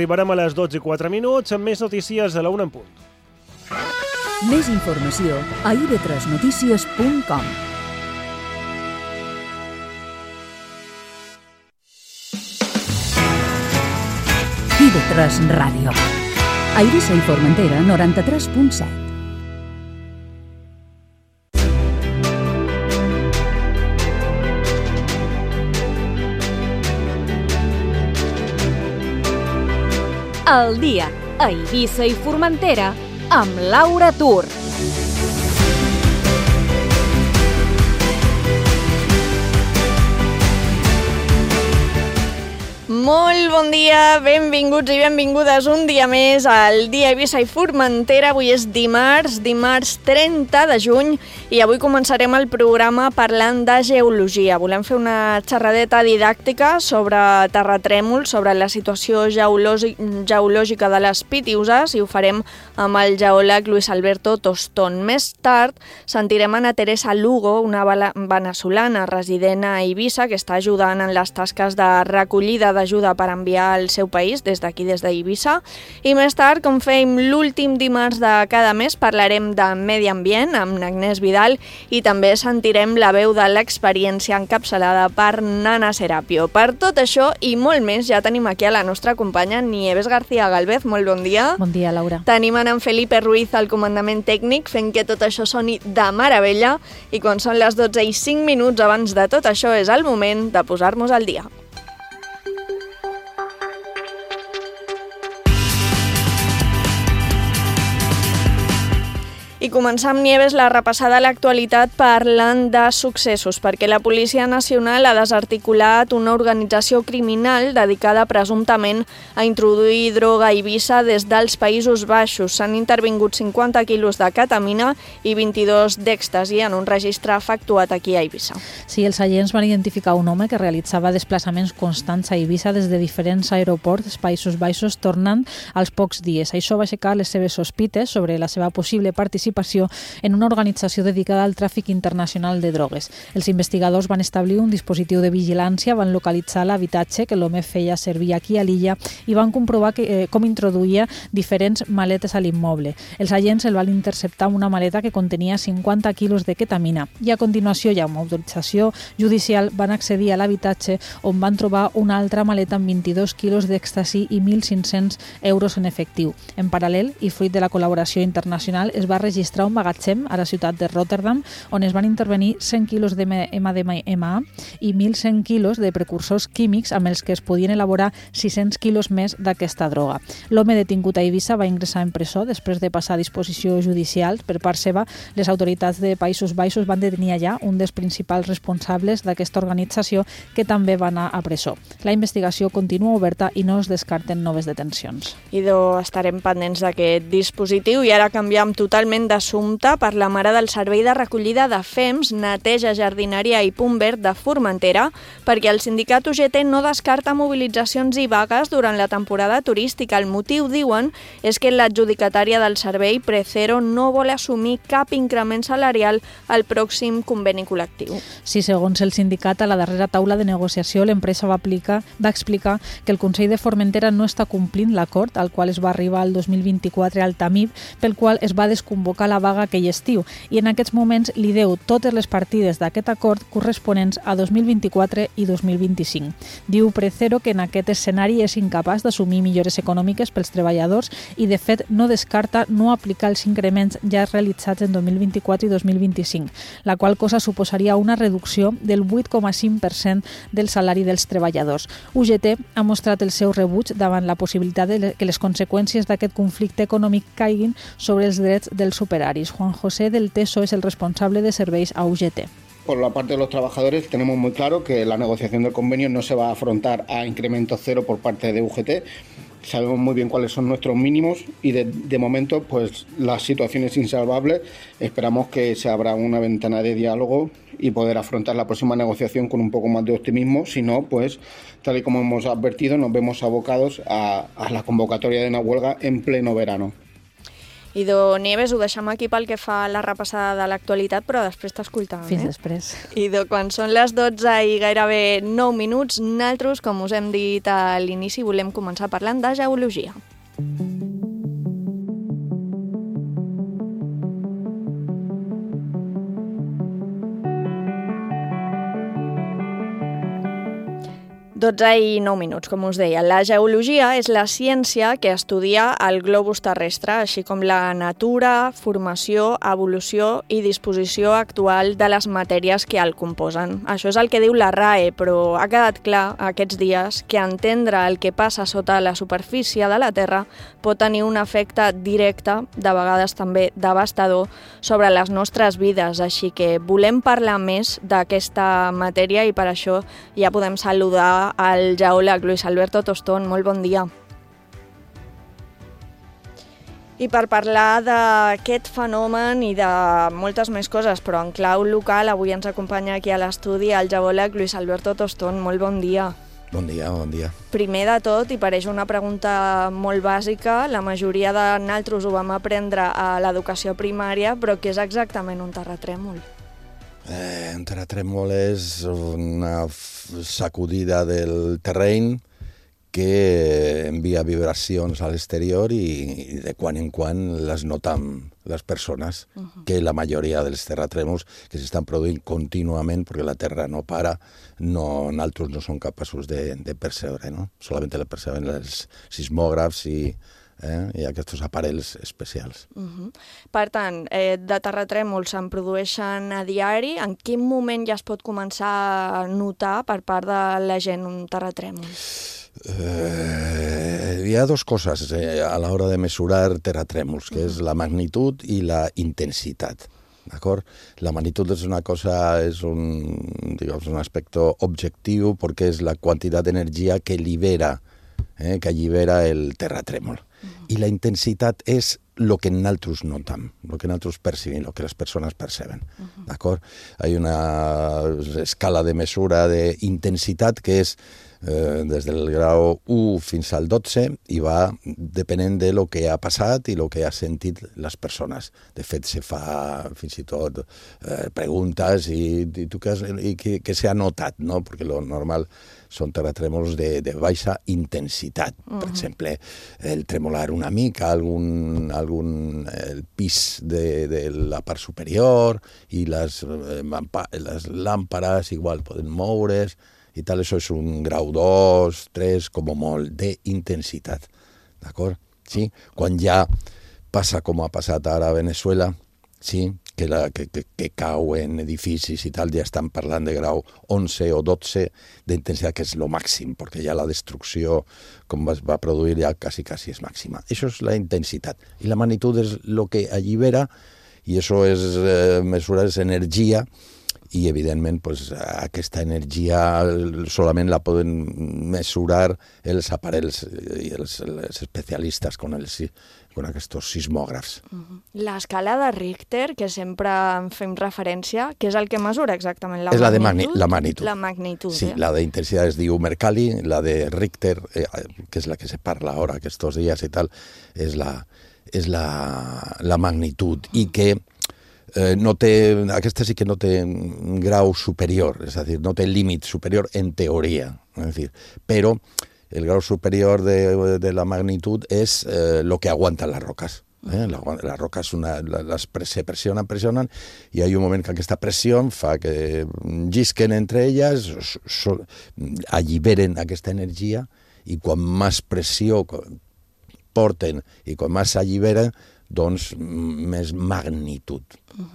Arribarem a les 12:04 amb més notícies a la 1 en punt. Més informació a ib3notícies.com. IB3 Ràdio. A Eivissa i Formentera, 93.7. El dia a Eivissa i Formentera amb Laura Tur. Molt bon dia, benvinguts i benvingudes un dia més al dia Eivissa i Formentera. Avui és dimarts 30 de juny i avui començarem el programa parlant de geologia. Volem fer una xerradeta didàctica sobre terratrèmols, sobre la situació geològica de les Pitiüses, i ho farem amb el geòleg Luis Alberto Tostón. Més tard sentirem a Teresa Lugo, una veneçolana resident a Eivissa que està ajudant en les tasques de recollida d'ajuda per enviar al seu país des d'aquí, des d'Eivissa. I més tard, com fèiem l'últim dimarts de cada mes, parlarem de medi ambient amb Agnès Vidal i també sentirem la veu de l'experiència encapçalada per Nana Serapio. Per tot això i molt més ja tenim aquí a la nostra companya Nieves García Galvez. Molt bon dia. Bon dia, Laura. Tenim en Felipe Ruiz al comandament tècnic fent que tot això soni de meravella, i quan són les 12:05 abans de tot això és el moment de posar-nos al dia. I començar amb Nieves la repassada a l'actualitat parlant de successos, perquè la Policia Nacional ha desarticulat una organització criminal dedicada presumptament a introduir droga a Eivissa des dels Països Baixos. S'han intervingut 50 quilos de ketamina i 22 d'èxtasi en un registre efectuat aquí a Eivissa. Sí, els agents van identificar un home que realitzava desplaçaments constants a Eivissa des de diferents aeroports dels Països Baixos tornant als pocs dies. Això va aixecar les seves sospites sobre la seva possible participació en una organització dedicada al tràfic internacional de drogues. Els investigadors van establir un dispositiu de vigilància, van localitzar l'habitatge que l'home feia servir aquí a l'illa i van comprovar com introduïa diferents maletes a l'immoble. Els agents el van interceptar amb una maleta que contenia 50 quilos de ketamina i a continuació, ja amb autorització judicial, van accedir a l'habitatge on van trobar una altra maleta amb 22 quilos d'èxtasi i 1.500 euros en efectiu. En paral·lel, i fruit de la col·laboració internacional, es va registrar un magatzem a la ciutat de Rotterdam on es van intervenir 100 quilos de MDMA i 1.100 quilos de precursors químics amb els que es podien elaborar 600 quilos més d'aquesta droga. L'home detingut a Eivissa va ingressar en presó després de passar a disposició judicial. Per part seva, les autoritats de Països Baixos van detenir allà un dels principals responsables d'aquesta organització, que també va anar a presó. La investigació continua oberta i no es descarten noves detencions. Estarem pendents d'aquest dispositiu. I ara canviem totalment d'assumpte per la mare del Servei de Recollida de FEMS, Neteja, Jardineria i Punt Verd de Formentera, perquè el sindicat UGT no descarta mobilitzacions i vagues durant la temporada turística. El motiu, diuen, és que l'adjudicatària del servei, Precero, no vol assumir cap increment salarial al pròxim conveni col·lectiu. Sí, segons el sindicat, a la darrera taula de negociació, l'empresa va explicar que el Consell de Formentera no està complint l'acord al qual es va arribar el 2024 al TAMIB, pel qual es va desconvocar la vaga aquell estiu, i en aquests moments li deu totes les partides d'aquest acord corresponents a 2024 i 2025. Diu Precero que en aquest escenari és incapaç d'assumir millores econòmiques pels treballadors i, de fet, no descarta no aplicar els increments ja realitzats en 2024 i 2025, la qual cosa suposaria una reducció del 8,5% del salari dels treballadors. UGT ha mostrat el seu rebuig davant la possibilitat que les conseqüències d'aquest conflicte econòmic caiguin sobre els drets dels superaris. Juan José del Teso es el responsable de serveis a UGT. Por la parte de los trabajadores tenemos muy claro que la negociación del convenio no se va a afrontar a incremento cero por parte de UGT. Sabemos muy bien cuáles son nuestros mínimos y de momento pues la situación es insalvable. Esperamos que se abra una ventana de diálogo y poder afrontar la próxima negociación con un poco más de optimismo. Si no, pues tal y como hemos advertido, nos vemos abocados a la convocatoria de una huelga en pleno verano. Idò Nieves, ho deixem aquí pel que fa a la repassada de l'actualitat, però després t'escoltàvem. Fins després. Idò, quan són les 12 i gairebé 9 minuts, nosaltres, com us hem dit a l'inici, volem començar parlant de geologia. Dotze i 9 minuts, com us deia. La geologia és la ciència que estudia el globus terrestre, així com la natura, formació, evolució i disposició actual de les matèries que el composen. Això és el que diu la RAE, però ha quedat clar aquests dies que entendre el que passa sota la superfície de la Terra pot tenir un efecte directe, de vegades també devastador, sobre les nostres vides. Així que volem parlar més d'aquesta matèria i per això ja podem saludar al geòleg Luis Alberto Tostón. Molt bon dia. I per parlar d'aquest fenomen i de moltes més coses, però en clau local, avui ens acompanya aquí a l'estudi el geòleg Luis Alberto Tostón. Molt bon dia. Bon dia, bon dia. Primer de tot, i pareix una pregunta molt bàsica, la majoria de nosaltres ho vam aprendre a l'educació primària, però què és exactament un terratrèmol? Un terratrèmol és una sacudida del terreny que envia vibracions a l'exterior i de quan en quan les notam les persones, que la majoria dels terratrèmols que s'estan produint contínuament perquè la Terra no para, nosaltres no som capaços de percebre, no? Solament la perceben els sismògrafs i aquests aparells especials. Per tant, de terratrèmols se'n produeixen a diari. En quin moment ja es pot començar a notar per part de la gent un terratrèmol? Hi ha dues coses a l'hora de mesurar terratrèmols, que és la magnitud i la intensitat. D'acord? La magnitud és una cosa, és un aspecte objectiu perquè és la quantitat d'energia que allibera el terratrèmol. I la intensitat és el que nosaltres notam, el que nosaltres percibim, el que les persones perceben. D'acord? Hi ha una escala de mesura d'intensitat que és des del grau 1 fins al 12 i va depenent de lo que ha passat i lo que ha sentit les persones. De fet, se fa fins i tot preguntes i què s'ha notat, no? Perquè lo normal són terratrèmols de baixa intensitat. Per exemple, el tremolar una mica, el pis de la part superior i les làmperes igual poden moure's i tal, això és un grau 2, 3, com a molt, d'intensitat. D'acord? Sí? Quan ja passa com ha passat ara a Venezuela, sí? que cauen edificis i tal, ja estan parlant de grau 11 o 12 d'intensitat, que és el màxim, perquè ja la destrucció, com es va produir, ja quasi és màxima. Això és la intensitat. I la magnitud és el que allibera, i això és mesurar energia, i evidentment aquesta energia solament la poden mesurar els aparells i els especialistes con aquests sismògrafs. L'escala de Richter, que sempre en fem referència, què és el que mesura exactament? És la magnitud. La magnitud. Sí, la d'intensitat es diu Mercalli, la de Richter, que és la que se parla ara aquests dies i tal, és la magnitud, i que aquesta sí que no té un grau superior, és a dir, no té límit superior en teoria, és dir, però el grau superior de la magnitud és el que aguanten les roques. Les roques se pressionen i hi ha un moment que aquesta pressió fa que llisquen entre elles, alliberen aquesta energia, i quan més pressió porten i quan més s'alliberen, doncs més magnitud.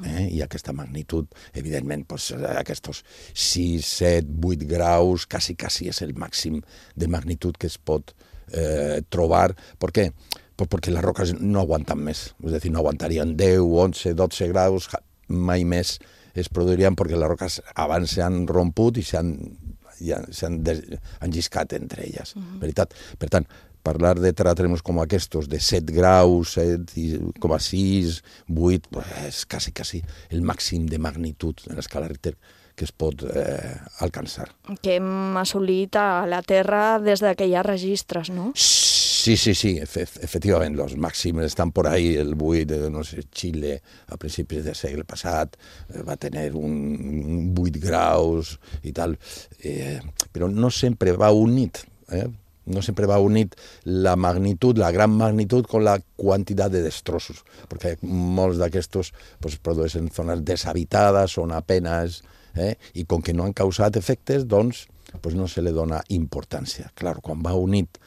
I aquesta magnitud, evidentment, aquests 6, 7, 8 graus, quasi és el màxim de magnitud que es pot trobar. Per què? Perquè les roques no aguanten més. És a dir, no aguantarien 10, 11, 12 graus, mai més es produirien perquè les roques abans s'han romput i s'han lliscat entre elles. Veritat? Per tant, parlar de terratrèmols com aquests, de 7 graus, 7,6, 8, és quasi el màxim de magnitud en l'escala Richter que es pot alcançar. Que hem assolit a la Terra des que hi ha registres, no? Sí, efectivament, los màxims estan por ahí, el buit, no sé, Xile a principis del segle passat va tenir un 8 graus i tal, però no sempre va unit, no sempre va unit la magnitud, la gran magnitud con la quantitat de destrossos, perquè molts d'aquestos pues, produeixen zones deshabitades, són apenas, i com que no han causat efectes, doncs pues no se li dona importància. Clar, quan va unit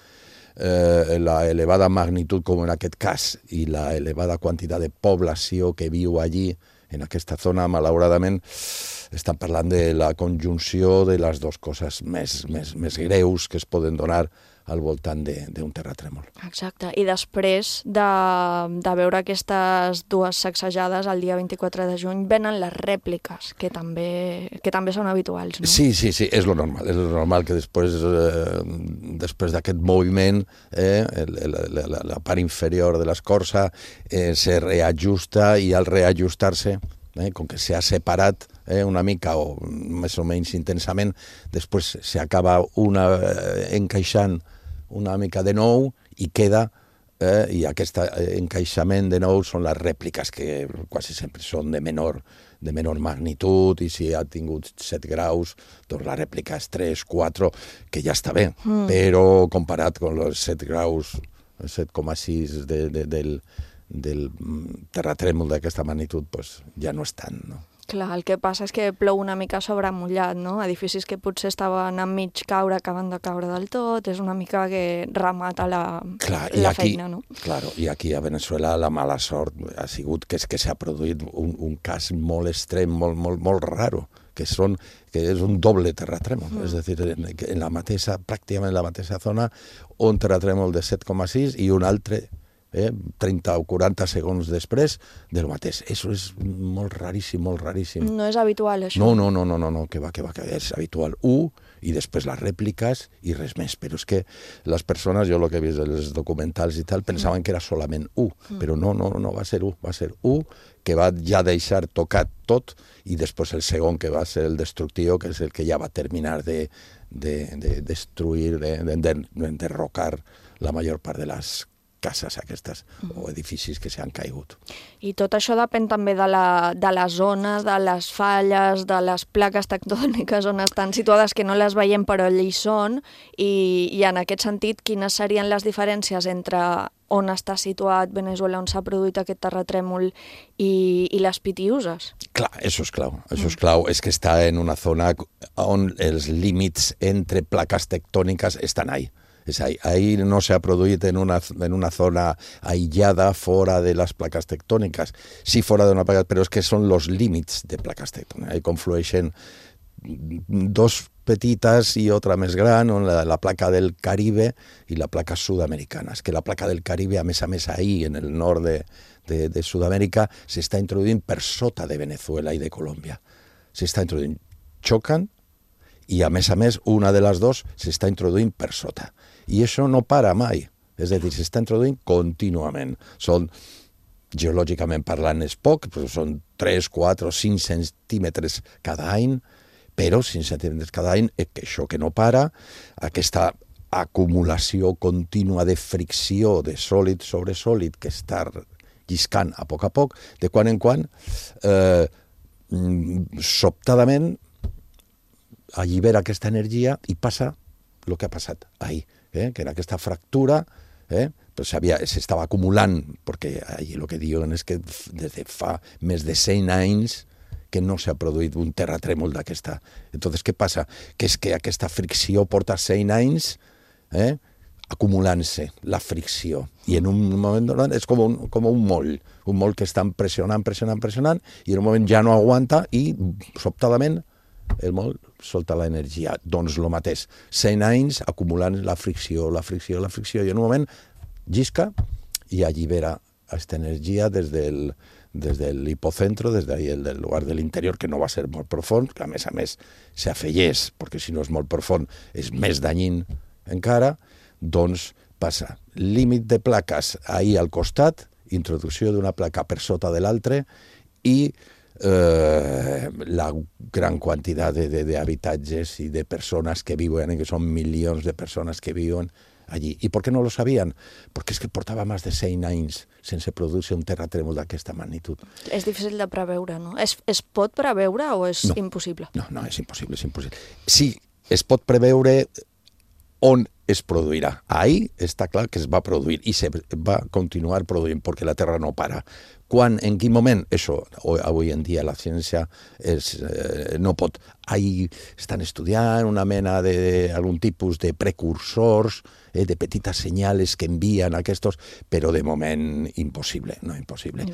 la elevada magnitud, com en aquest cas, i la elevada quantitat de població que viu allí, en aquesta zona, malauradament, estan parlant de la conjunció de les dues coses més greus que es poden donar al voltant d'un terratrèmol. Exacte. I després de veure aquestes dues sacsejades, el dia 24 de juny, venen les rèpliques, que també són habituals, no? Sí, és lo normal. És lo normal que després d'aquest moviment la part inferior de l'escorça se reajusta i al reajustar-se, com que s'ha separat una mica o més o menys intensament, després s'acaba encaixant una mica de nou i queda, i aquest encaixament de nou són les rèpliques, que quasi sempre són de menor magnitud, i si ha tingut 7 graus, doncs la rèplica és 3, 4, que ja està bé, però comparat amb els 7 graus, 7,6 del terratrèmol d'aquesta magnitud, doncs ja no és tant, no? Clar, el que passa és que plou una mica sobre mullat, no? Edificis que potser estaven a mig caure, acaben de caure del tot, és una mica que remata la feina, no? Claro, i aquí a Venezuela la mala sort ha sigut que s'ha produït un cas molt extrem, molt raro, que és un doble terratrèmol, és a dir, pràcticament en la mateixa zona, un terratrèmol de 7,6 i un altre 30 o 40 segons després del mateix. Això és molt raríssim, molt raríssim. No és habitual, això? No, que va, és habitual. I després les rèpliques i res més. Però és que les persones, jo el que he vist dels documentals i tal, pensaven que era solament però no, va ser que va ja deixar tocat tot, i després el segon, que va ser el destructiu, que és el que ja va terminar de destruir, d'enderrocar la major part de les cases aquestes o edificis que s'han caigut. I tot això depèn també de la zona, de les falles, de les plaques tectòniques on estan situades, que no les veiem però allà hi són, i en aquest sentit, quines serien les diferències entre on està situat Venezuela, on s'ha produït aquest terratrèmol, i les Pitiuses? Clar, això és clau. És que està en una zona on els límits entre plaques tectòniques estan ahí. Ahí no se ha produït en una zona aïllada fora de les plaques tectòniques. Sí, fora d'una placa, però és que són els límits de plaques tectòniques. Ahí conflueixen dos petites i otra més gran, la placa del Caribe i la placa sud-americana. És que la placa del Caribe, a més, ahí, en el nord de Sud-amèrica, s'està introduint per sota de Venezuela i de Colòmbia. S'està introduint, xoquen, i a més, una de les dues s'està introduint per sota. I això no para mai, és a dir, s'està introduint contínuament. Geològicament parlant és poc, però són 3, 4, 5 centímetres cada any, però 5 centímetres cada any, que això que no para, aquesta acumulació contínua de fricció de sòlid sobre sòlid que està lliscant a poc, de quan en quan, sobtadament allibera aquesta energia i passa el que ha passat ahir, que era aquesta fractura, però s'estava acumulant, perquè allí el que diuen és que des de fa més de 100 anys que no s'ha produït un terratrèmol d'aquesta. Entonces, què passa? Que és que aquesta fricció porta 100 anys acumulant-se, la fricció. I en un moment donat és com un moll que estan pressionant, i en un moment ja no aguanta i, sobtadament, el moll solta l'energia. Doncs el mateix. 100 anys acumulant la fricció, i en un moment llisca i allibera aquesta energia des de l'hipocentro, des del lugar de l'interior, que no va ser molt profund, que a més s'afegeix, perquè si no és molt profund és més danyín encara, doncs passa límit de plaques ahir al costat, introducció d'una placa per sota de l'altre, i la gran quantitat d'habitatges i de persones que viuen, que són milions de persones que viuen allí. ¿Y por qué no lo sabían? Porque es que portava més de 100 anys sense produir-se un terratrèmol d'aquesta magnitud. És difícil de preveure, no? Es pot preveure o és impossible? No, és impossible, és impossible. Sí, es pot preveure on es produirà. Ahí està clar que es va produir i se va continuar produint perquè la Terra no para. Quan, en quin moment? Això, avui en dia la ciència no pot. Ahí estan estudiant una mena d'algun tipus de precursors, de petites senyals que envien aquests, però de moment impossible, no impossible.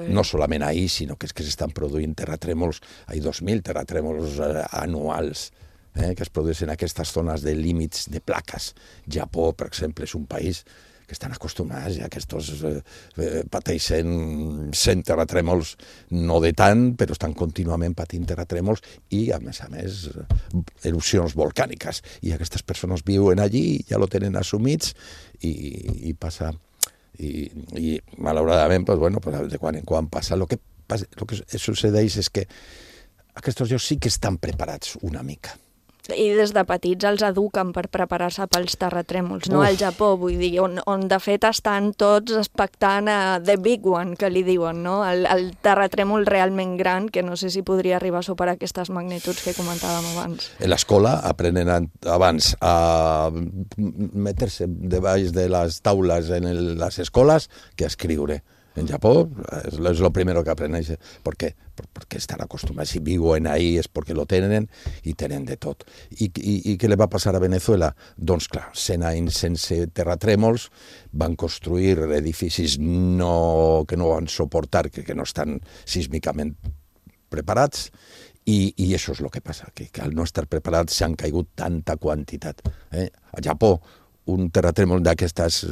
No solament ahí, sinó que és que s'estan produint terratrèmols, hi ha 2.000 terratrèmols anuals, que es produeixen en aquestes zones de límits de plaques. Japó, per exemple, és un país que estan acostumats a aquests pateixen 100 terratrèmols, no de tant, però estan contínuament patint terratrèmols i, a més, erupcions volcàniques. I aquestes persones viuen allí, ja lo tenen assumits i passa... I malauradament, de quan en quan passa. El que succeeix és que aquests llocs sí que estan preparats una mica. I des de petits els eduquen per preparar-se pels terratrèmols, no? Al Japó, vull dir, on de fet estan tots expectant The Big One, que li diuen, no? El terratrèmol realment gran, que no sé si podria arribar a superar aquestes magnituds que comentàvem abans. En l'escola aprenen abans a metre-se debaix de les taules en les escoles que a escriure. En Japó es lo primero que aprenen. ¿Por qué? Porque están acostumbrados. Si viuen ahí es porque lo tenen i tenen de tot. I què li va passar a Venezuela? Doncs clar, 100 anys sense terratrèmols, van construir edificis que no van suportar, que no estan sísmicament preparats, i això és el que passa, que al no estar preparats s'han caigut tanta quantitat. A Japó, un terratrèmol d'aquestes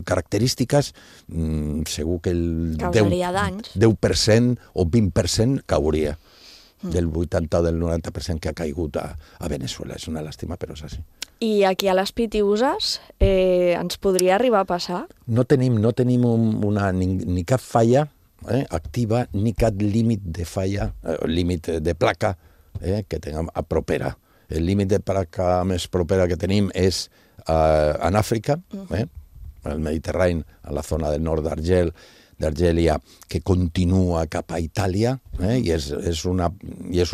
característiques, segur que el 10% o 20% cauria. Del 80 o del 90% que ha caigut a Venezuela. És una làstima, però és així. I aquí a les Pitiüses ens podria arribar a passar? No tenim ni cap falla activa, ni cap límit de falla, límit de placa que tinguem a propera. El límit de placa més propera que tenim és en Àfrica, al Mediterrani, a la zona del nord d'Argèlia, que continua cap a Itàlia, i és un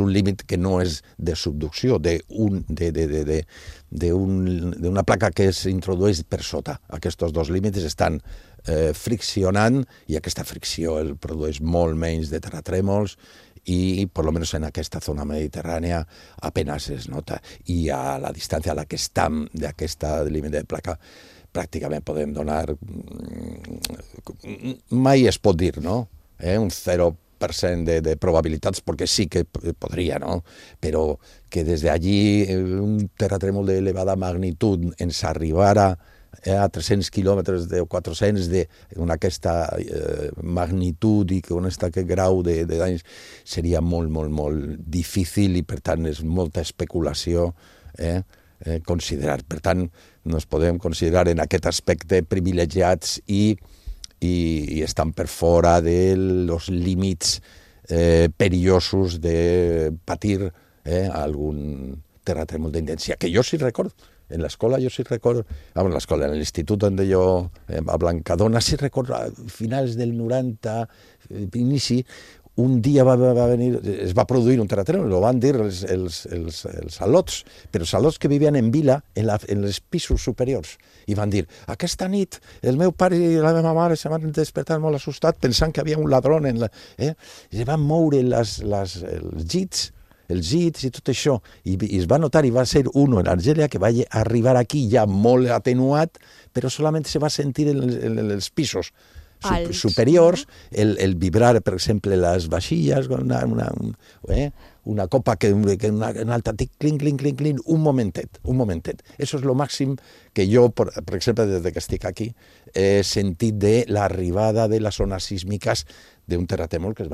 límit que no és de subducció, d'una placa que s'introdueix per sota. Aquests dos límits estan friccionant i aquesta fricció el produeix molt menys de terratrèmols i, per almenys en aquesta zona mediterrània, apenas es nota. I a la distància a la que estem d'aquesta límit de placa, pràcticament podem donar... Mai es pot dir, no? Un 0% de probabilitats, perquè sí que podria, no? Però que des d'allí un terratrèmol d'elevada magnitud ens arribara a 300 quilòmetres o 400 amb aquesta magnitud i amb aquest grau de danys seria molt, molt, molt difícil i, per tant, és molta especulació considerar. Per tant, ens podem considerar en aquest aspecte privilegiats i estan per fora dels límits perillosos de patir algun terratrèmol d'intensità, que jo sí recordo. En l'escola jo sí recordo, en l'institut on jo, a Blancadona, sí recordo, a finals del 90, inici, un dia es va produir un terratrèmol, ho van dir els alots, però els alots que vivien en vila, en els pisos superiors, i van dir, aquesta nit el meu pare i la meva mare se van despertar molt assustats pensant que havia un ladrón, i es van moure els llits i tot això, i es va notar, i va ser un en Argèlia que va arribar aquí ja molt atenuat, però solament se va sentir en els pisos superiors, el vibrar, per exemple, les vaixilles, una copa que un altre clink, clink, clink, clink, un momentet. Això és el màxim que jo, per exemple, des que estic aquí, he sentit de l'arribada de les zones sísmiques d'un terratrèmol que es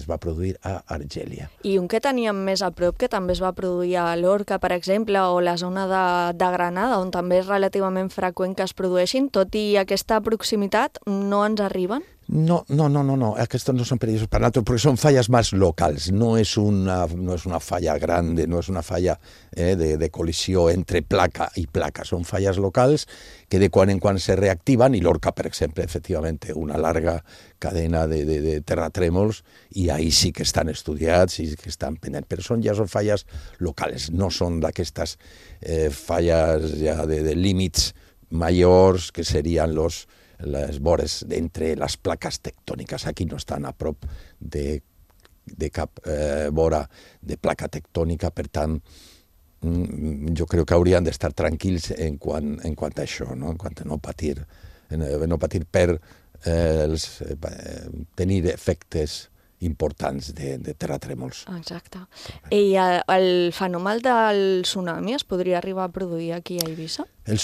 va produir a Argèlia. I un que teníem més a prop, que també es va produir a Lorca, per exemple, o la zona de Granada, on també és relativament freqüent que es produeixin, tot i aquesta proximitat, no ens arriben? No, aquestos no son peligrosos para nosotros porque son fallas más locales, no es una falla grande, no es una falla de colisión entre placa y placa, son fallas locals que de quan en quan se reactivan, i Lorca, per exemple, efectivamente, una larga cadena de terratrèmols, i ahí sí que estan estudiats i que estan pendents, però ja són falles locals, no són d'aquestes falles ja de límits majors que serien les vores entre les plaques tectòniques. Aquí no estan a prop de cap vora de placa tectònica, per tant, jo crec que haurien d'estar tranquils en quant a això, no? En quant a no patir per tenir efectes importants de terratrèmols. Exacte. I el fenomen del tsunami es podria arribar a produir aquí a Eivissa? Per al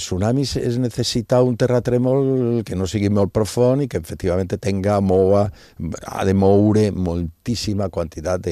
tsunami es necessita un terratrèmol que no sigui molt profund i que efectivament ha de moure moltíssima quantitat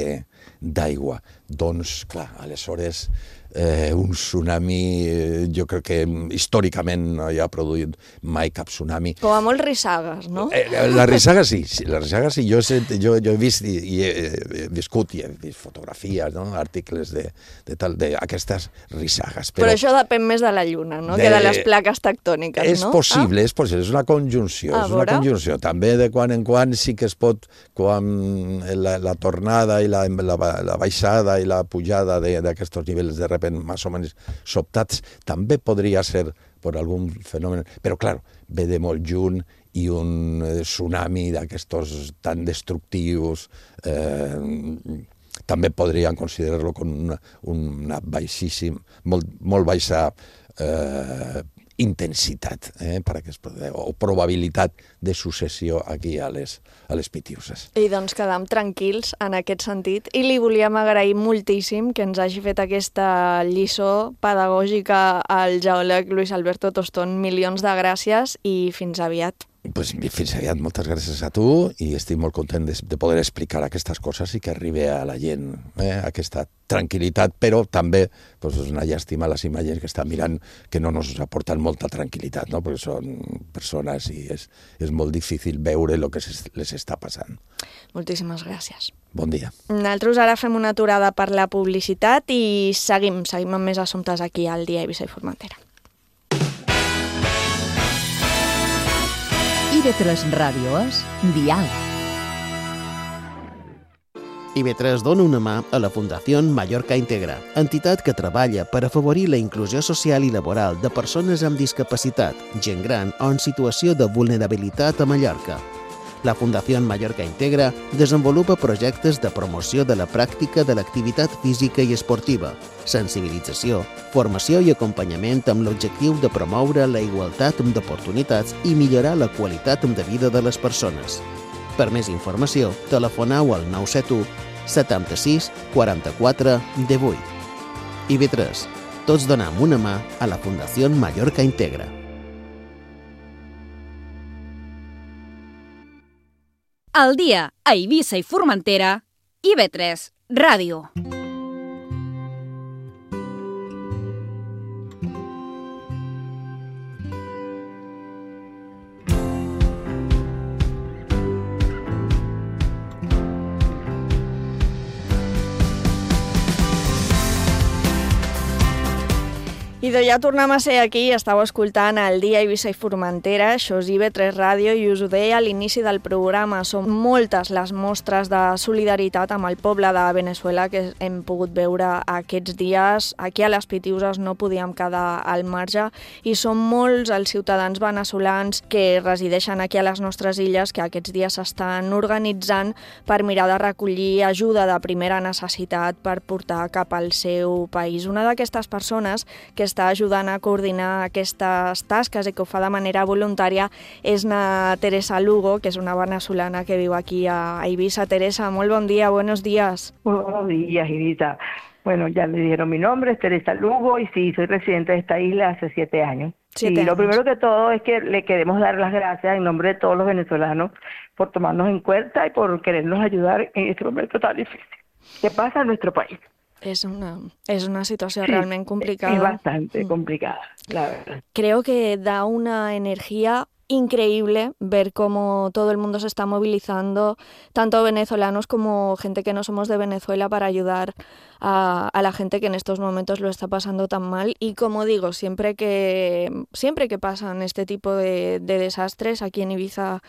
d'aigua. Doncs, clar, aleshores un tsunami, jo crec que històricament no hi ha produït mai cap tsunami. Com a molt rissagues, no? La rissaga sí. Jo he vist i he viscut i he vist fotografies, no? Articles d'aquestes rissagues. Però això depèn més de la lluna, no? Que de les plaques tectòniques, no? És possible, és una conjunció. També de quan en quan sí que es pot, quan la tornada i la baixada i la pujada d'aquests nivells de repent més o menys sobtats, també podria ser per algun fenomen, però clar, ve de molt junt i un tsunami d'aquestos tan destructius també podrien considerar-lo com una baixíssima, molt baixa intensitat o probabilitat de successió aquí a les Pitiuses. I doncs quedam tranquils en aquest sentit i li volíem agrair moltíssim que ens hagi fet aquesta lliçó pedagògica al geòleg Luis Alberto Tostón. Milions de gràcies i fins aviat. Pues fins aviat, moltes gràcies a tu i estic molt content de poder explicar aquestes coses i que arribi a la gent aquesta tranquil·litat, però també és una llàstima les imatges que estan mirant que no ens aporten molta tranquil·litat, no? Perquè són persones i és molt difícil veure el que les està passant. Moltíssimes gràcies. Bon dia. Nosaltres ara fem una aturada per la publicitat i seguim amb més assumptes aquí al Dia Eivissa i Formentera. IB3 Ràdio és Dial. IB3 dona una mà a la Fundació Mallorca Integra, entitat que treballa per afavorir la inclusió social i laboral de persones amb discapacitat, gent gran o en situació de vulnerabilitat a Mallorca. La Fundació Mallorca Integra desenvolupa projectes de promoció de la pràctica de l'activitat física i esportiva, sensibilització, formació i acompanyament amb l'objectiu de promoure la igualtat d'oportunitats i millorar la qualitat de vida de les persones. Per més informació, telefoneu al 971 76 44 18. IB3. Tots donem una mà a la Fundació Mallorca Integra. Al dia a Eivissa i Formentera, IB3 Ràdio. I ja tornem a ser aquí, estàu escoltant el Dia Eivissa i Formentera, això és IB3 Ràdio i us ho deia a l'inici del programa, són moltes les mostres de solidaritat amb el poble de Veneçuela que hem pogut veure aquests dies. Aquí a les Pitiuses no podíem quedar al marge i són molts els ciutadans veneçolans que resideixen aquí a les nostres illes que aquests dies s'estan organitzant per mirar de recollir ajuda de primera necessitat per portar cap al seu país. Una d'aquestes persones que està ajudant a coordinar aquestes tasques i que ho fa de manera voluntària és na Teresa Lugo, que és una venezolana que viu aquí a Eivissa. Teresa, muy buen día, buenos días. Muy buenos días, Irita. Bueno, ya le dieron mi nombre, es Teresa Lugo, y sí, soy residente de esta isla hace 7 años. Lo primero que todo es que le queremos dar las gracias en nombre de todos los venezolanos por tomarnos en cuenta y por querernos ayudar en este momento tan difícil que pasa en nuestro país. Es una situación realmente complicada. Es bastante complicada, la verdad. Creo que da una energía increíble ver cómo todo el mundo se está movilizando, tanto venezolanos como gente que no somos de Venezuela, para ayudar a la gente que en estos momentos lo está pasando tan mal. Y como digo, siempre que pasan este tipo de desastres aquí en Ibiza,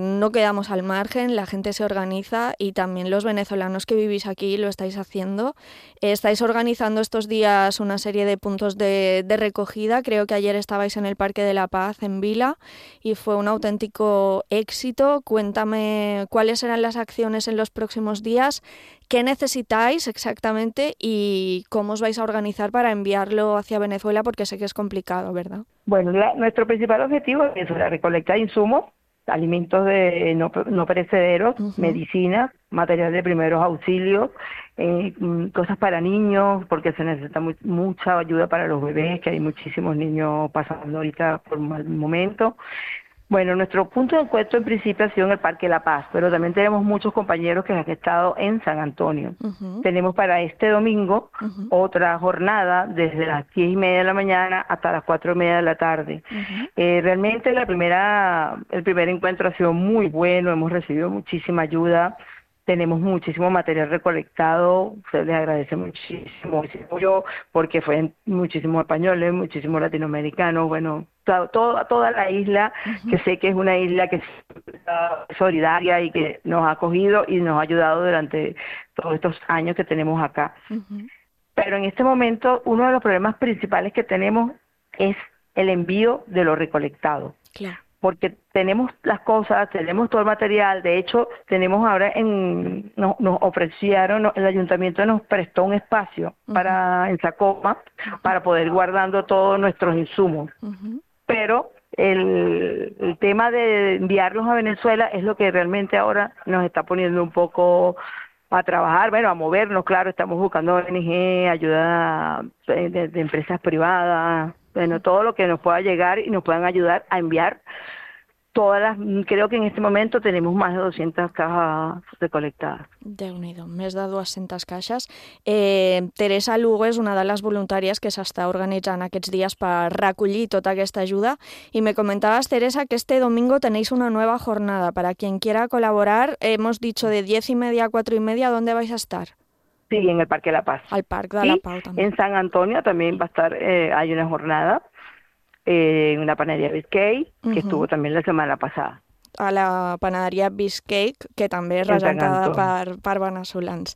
no quedamos al margen, la gente se organiza, y también los venezolanos que vivís aquí lo estáis haciendo. Estáis organizando estos días una serie de puntos de recogida. Creo que ayer estabais en el Parque de la Paz en Vila y fue un auténtico éxito. Cuéntame cuáles serán las acciones en los próximos días, qué necesitáis exactamente y cómo os vais a organizar para enviarlo hacia Venezuela, porque sé que es complicado, ¿verdad? Bueno, nuestro principal objetivo es la recolecta de insumos, alimentos no perecederos, medicinas, material de primeros auxilios, cosas para niños, porque se necesita mucha ayuda para los bebés, que hay muchísimos niños pasando ahorita por un mal momento. Bueno, nuestro punto de encuentro en principio ha sido en el Parque La Paz, pero también tenemos muchos compañeros que han estado en San Antonio. Tenemos para este domingo otra jornada desde las 10:30 de la mañana hasta las 4:30 de la tarde. Realmente el primer encuentro ha sido muy bueno, hemos recibido muchísima ayuda. Tenemos muchísimo material recolectado, se les agradece muchísimo yo, porque fue muchísimos españoles, muchísimos latinoamericanos, bueno, toda la isla, que sé que es una isla que es solidaria y que nos ha acogido y nos ha ayudado durante todos estos años que tenemos acá. Pero en este momento uno de los problemas principales que tenemos es el envío de lo recolectado. Claro. Porque tenemos las cosas, tenemos todo el material. De hecho, tenemos ahora nos ofrecieron, el ayuntamiento nos prestó un espacio en Sacoma para poder guardando todos nuestros insumos. Pero el tema de enviarlos a Venezuela es lo que realmente ahora nos está poniendo un poco a trabajar, bueno, a movernos. Claro, estamos buscando ONG, ayuda de empresas privadas, bueno, todo lo que nos pueda llegar y nos puedan ayudar a enviar creo que en este momento tenemos más de 200 cajas recolectadas. Déu-n'hi-do, més de 200 caixes. Teresa Lugo és una de les voluntàries que s'està organitzant aquests dies per recollir tota aquesta ajuda, y me comentabas, Teresa, que este domingo tenéis una nueva jornada. Para quien quiera colaborar, hemos dicho de 10:30 a 4:30, ¿dónde vais a estar? Sí, en el Parque de la Paz. Al Parque de la Paz también. En San Antonio también va a estar, hay una jornada en una panadería Biscay, que estuvo también la semana pasada. A la panaderia Biscay, que també és regentada per venezolans.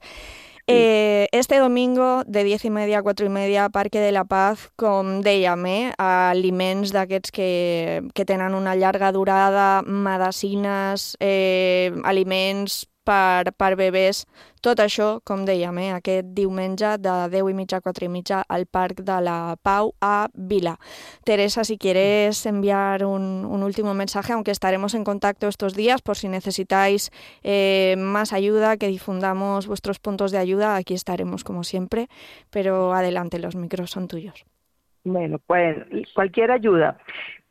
Este domingo, de 10:30 a 4:30, Parque de la Paz, com dèiem, aliments d'aquests que tenen una llarga durada, medicines, aliments per bebès, tot això, com dèiem, aquest diumenge de 10:30 a 4:30 al Parc de la Pau a Vila. Teresa, si quieres enviar un último mensaje, aunque estaremos en contacto estos días por si necesitáis más ayuda, que difundamos vuestros puntos de ayuda, aquí estaremos como siempre, pero adelante, los micros son tuyos. Bueno, pues cualquier ayuda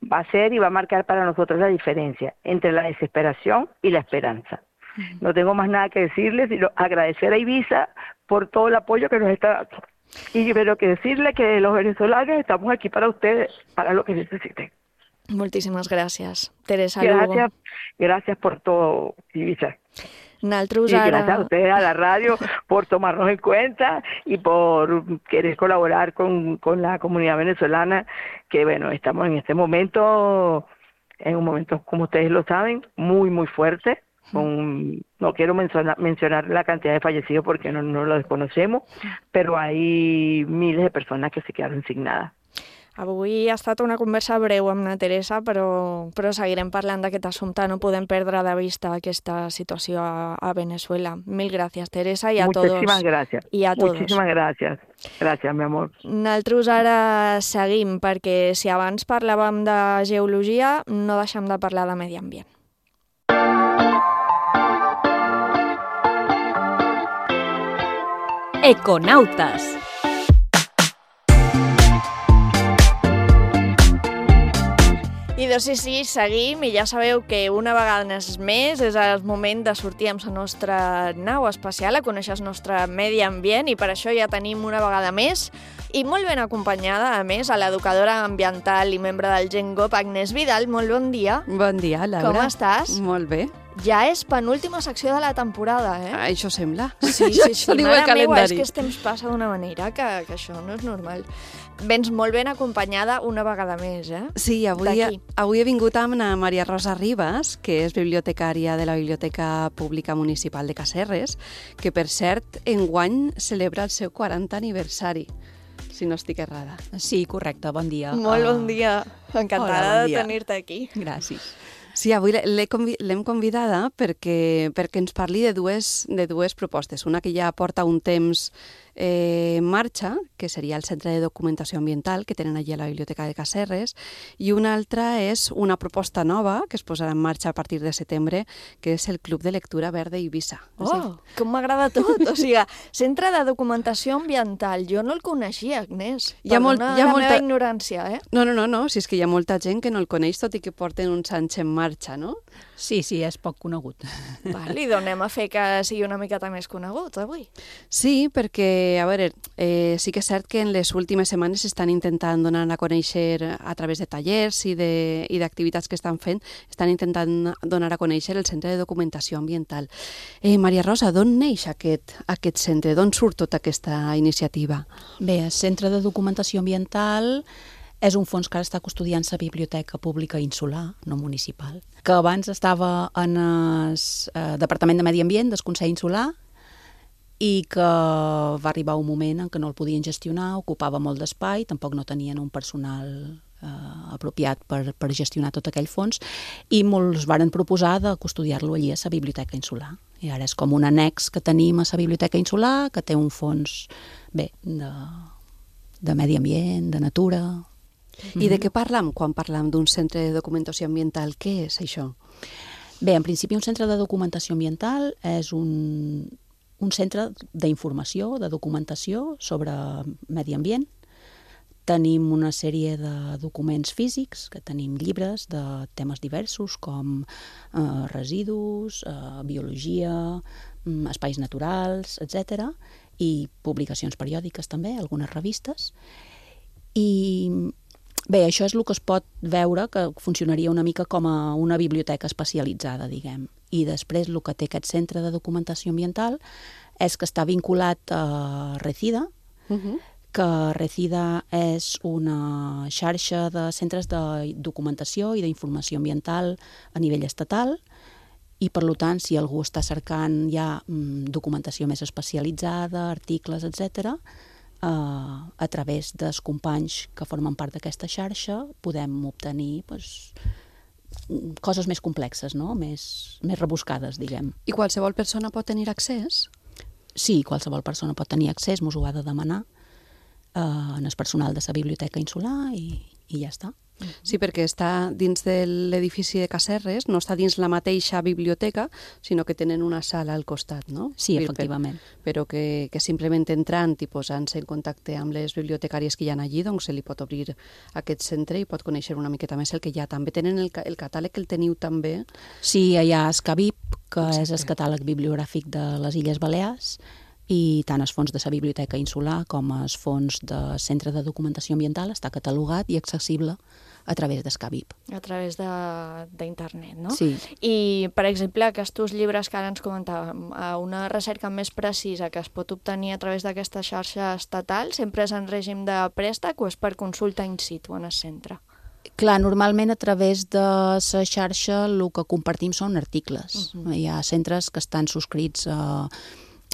va a ser y va a marcar para nosotros la diferencia entre la desesperación y la esperanza. No tengo más nada que decirles, sino agradecer a Ibiza por todo el apoyo que nos está dando. Y pero que decirle que los venezolanos estamos aquí para ustedes, para lo que necesiten. Moltíssimes gràcies, Teresa Lugo. Gracias por todo, Ibiza. Naltros y gracias a ustedes, a la radio, por tomarnos en cuenta y por querer colaborar con la comunidad venezolana, que bueno, estamos en este momento, en un momento, como ustedes lo saben, muy, muy fuerte. No quiero mencionar la cantidad de fallecidos porque no lo desconocemos, però hay miles de persones que se quedaron sin nada. Avui ha estat una conversa breu amb la Teresa, però seguirem parlant d'aquest assumpte. No podem perdre de vista aquesta situació a Venezuela. Mil gràcies, Teresa, i a tots. Muchísimas gracias. I a tots. Muchísimas gracias. Gràcies, mi amor. Nosaltres ara seguim, perquè si abans parlàvem de geologia, no deixem de parlar de medi ambient. Econautas. I doncs sí, seguim, i ja sabeu que una vegada més és el moment de sortir amb la nostra nau espacial, a conèixer el nostre medi ambient, i per això ja tenim una vegada més, i molt ben acompanyada, a més, a l'educadora ambiental i membre del GenGop, Agnès Vidal. Molt bon dia. Bon dia, Laura. Com estàs? Molt bé. Ja és penúltima secció de la temporada, eh? Això sembla. Sí, diu el calendari. Meva, és que el temps passa d'una manera que això no és normal. Vens molt ben acompanyada una vegada més, eh? Sí, avui he vingut amb la Maria Rosa Ribas, que és bibliotecària de la Biblioteca Pública Municipal de Casserres, que, per cert, enguany celebra el seu 40 aniversari, si no estic errada. Sí, correcte, bon dia. Molt bon dia. Encantada de tenir-te aquí. Gràcies. Sí, avui l'hem convidada perquè ens parli de dues propostes. Una que ja porta un temps en marxa, que seria el Centre de Documentació Ambiental que tenen allí a la Biblioteca de Casserres, i una altra és una proposta nova que es posarà en marxa a partir de setembre, que és el Club de Lectura Verda Eivissa. Oh, com m'agrada tot! O sigui, Centre de Documentació Ambiental. Jo no el coneixia, Agnès. Perdona la meva ignorància, eh? No, si és que hi ha molta gent que no el coneix, tot i que porten uns anys en marxa, no? Sí, és poc conegut. Val, i donem a fer que sigui una miqueta més conegut avui. Sí, perquè, a veure, sí que és cert que en les últimes setmanes s'estan intentant donar a conèixer a través de tallers i d'activitats que estan fent, estan intentant donar a conèixer el Centre de Documentació Ambiental. Maria Rosa, d'on neix aquest centre? D'on surt tota aquesta iniciativa? Bé, el Centre de Documentació Ambiental és un fons que ara està custodiant la Biblioteca Pública Insular, no municipal, que abans estava en el Departament de Medi Ambient del Consell Insular i que va arribar un moment en què no el podien gestionar, ocupava molt d'espai, tampoc no tenien un personal apropiat per gestionar tot aquell fons, i molts varen proposar de custodiar-lo allí a la Biblioteca Insular. I ara és com un annex que tenim a la Biblioteca Insular, que té un fons de medi ambient, de natura. I de què parlam quan parlam d'un centre de documentació ambiental? Què és això? Bé, en principi un centre de documentació ambiental és un centre d'informació, de documentació sobre medi ambient. Tenim una sèrie de documents físics, que tenim llibres de temes diversos com residus, biologia, espais naturals, etc. I publicacions periòdiques també, algunes revistes. I bé, això és el que es pot veure, que funcionaria una mica com a una biblioteca especialitzada, diguem. I després el que té aquest centre de documentació ambiental és que està vinculat a Recida, que Recida és una xarxa de centres de documentació i d'informació ambiental a nivell estatal, i per tant, si algú està cercant ja documentació més especialitzada, articles, etc., a través dels companys que formen part d'aquesta xarxa podem obtenir coses més complexes, no? més rebuscades, diguem. I qualsevol persona pot tenir accés? Sí, qualsevol persona pot tenir accés, mos ho ha de demanar en el personal de la Biblioteca Insular i ja està. Sí, perquè està dins de l'edifici de Casserres, no està dins la mateixa biblioteca, sinó que tenen una sala al costat, no? Sí, efectivament. Però que simplement entrant i posant-se en contacte amb les bibliotecàries que hi ha allí, doncs se li pot obrir aquest centre i pot conèixer una miqueta més el que hi ha. També tenen el catàleg, el teniu també? Sí, hi ha Scabib, que és el catàleg bibliogràfic de les Illes Balears, i tant els fons de la Biblioteca Insular com els fons del Centre de Documentació Ambiental està catalogat i accessible a través d'Escabib. A través d'internet, no? Sí. I, per exemple, aquests llibres que ara ens comentàvem, una recerca més precisa que es pot obtenir a través d'aquesta xarxa estatal, sempre és en règim de préstec o és per consulta in situ en el centre? Clar, normalment a través de la xarxa el que compartim són articles. Hi ha centres que estan subscrits a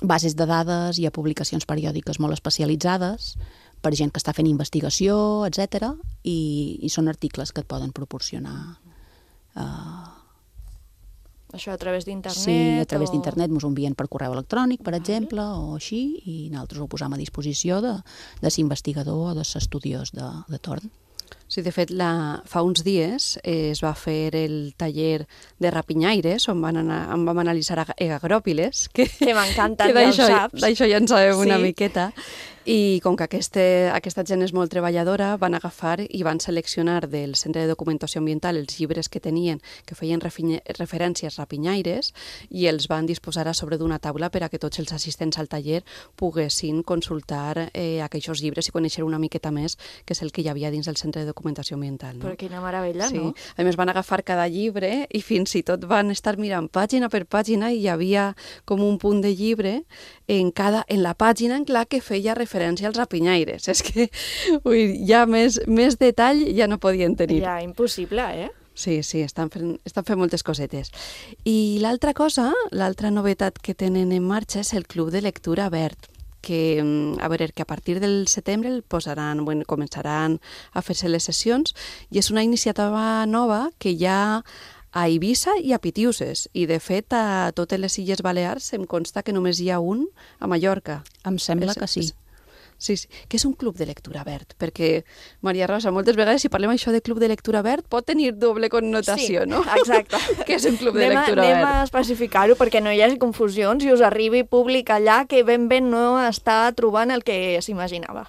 bases de dades i a publicacions periòdiques molt especialitzades per gent que està fent investigació, etc. I són articles que et poden proporcionar. Això a través d'internet? Sí, a través d'internet ens ho envien per correu electrònic, per exemple, o així, i nosaltres ho posam a disposició de l'investigador o de l'estudiós de torn. Sí, de fet, fa uns dies es va fer el taller de rapinyaires, on vam analitzar agròpiles, que m'encanten, ja ho saps. D'això ja en sabem una miqueta. I com que aquesta gent és molt treballadora, van agafar i van seleccionar del Centre de Documentació Ambiental els llibres que tenien, que feien referències rapinyaires, i els van disposar a sobre d'una taula per a que tots els assistents al taller poguessin consultar aquests llibres i conèixer una miqueta més què és el que hi havia dins del Centre de Documentació Ambiental. Però quina meravella, no? A més, van agafar cada llibre i fins i tot van estar mirant pàgina per pàgina i hi havia com un punt de llibre en la pàgina en la que feia referència als rapinyaires. És que ja més detall ja no podien tenir. Ja, impossible, Sí, estan fent moltes cosetes. I l'altra cosa, l'altra novetat que tenen en marxa és el Club de Lectura Verd, que a partir del setembre començaran a fer-se les sessions, i és una iniciativa nova que hi ha a Eivissa i a Pitiuses, i de fet a totes les Illes Balears em consta que només hi ha un a Mallorca. Em sembla que sí. Sí, que és un club de lectura verd, perquè, Maria Rosa, moltes vegades si parlem això de club de lectura verd pot tenir doble connotació, no? Sí, exacte. Que és un club de lectura verd. Anem a especificar-ho perquè no hi hagi confusions i us arribi públic allà que ben no està trobant el que s'imaginava.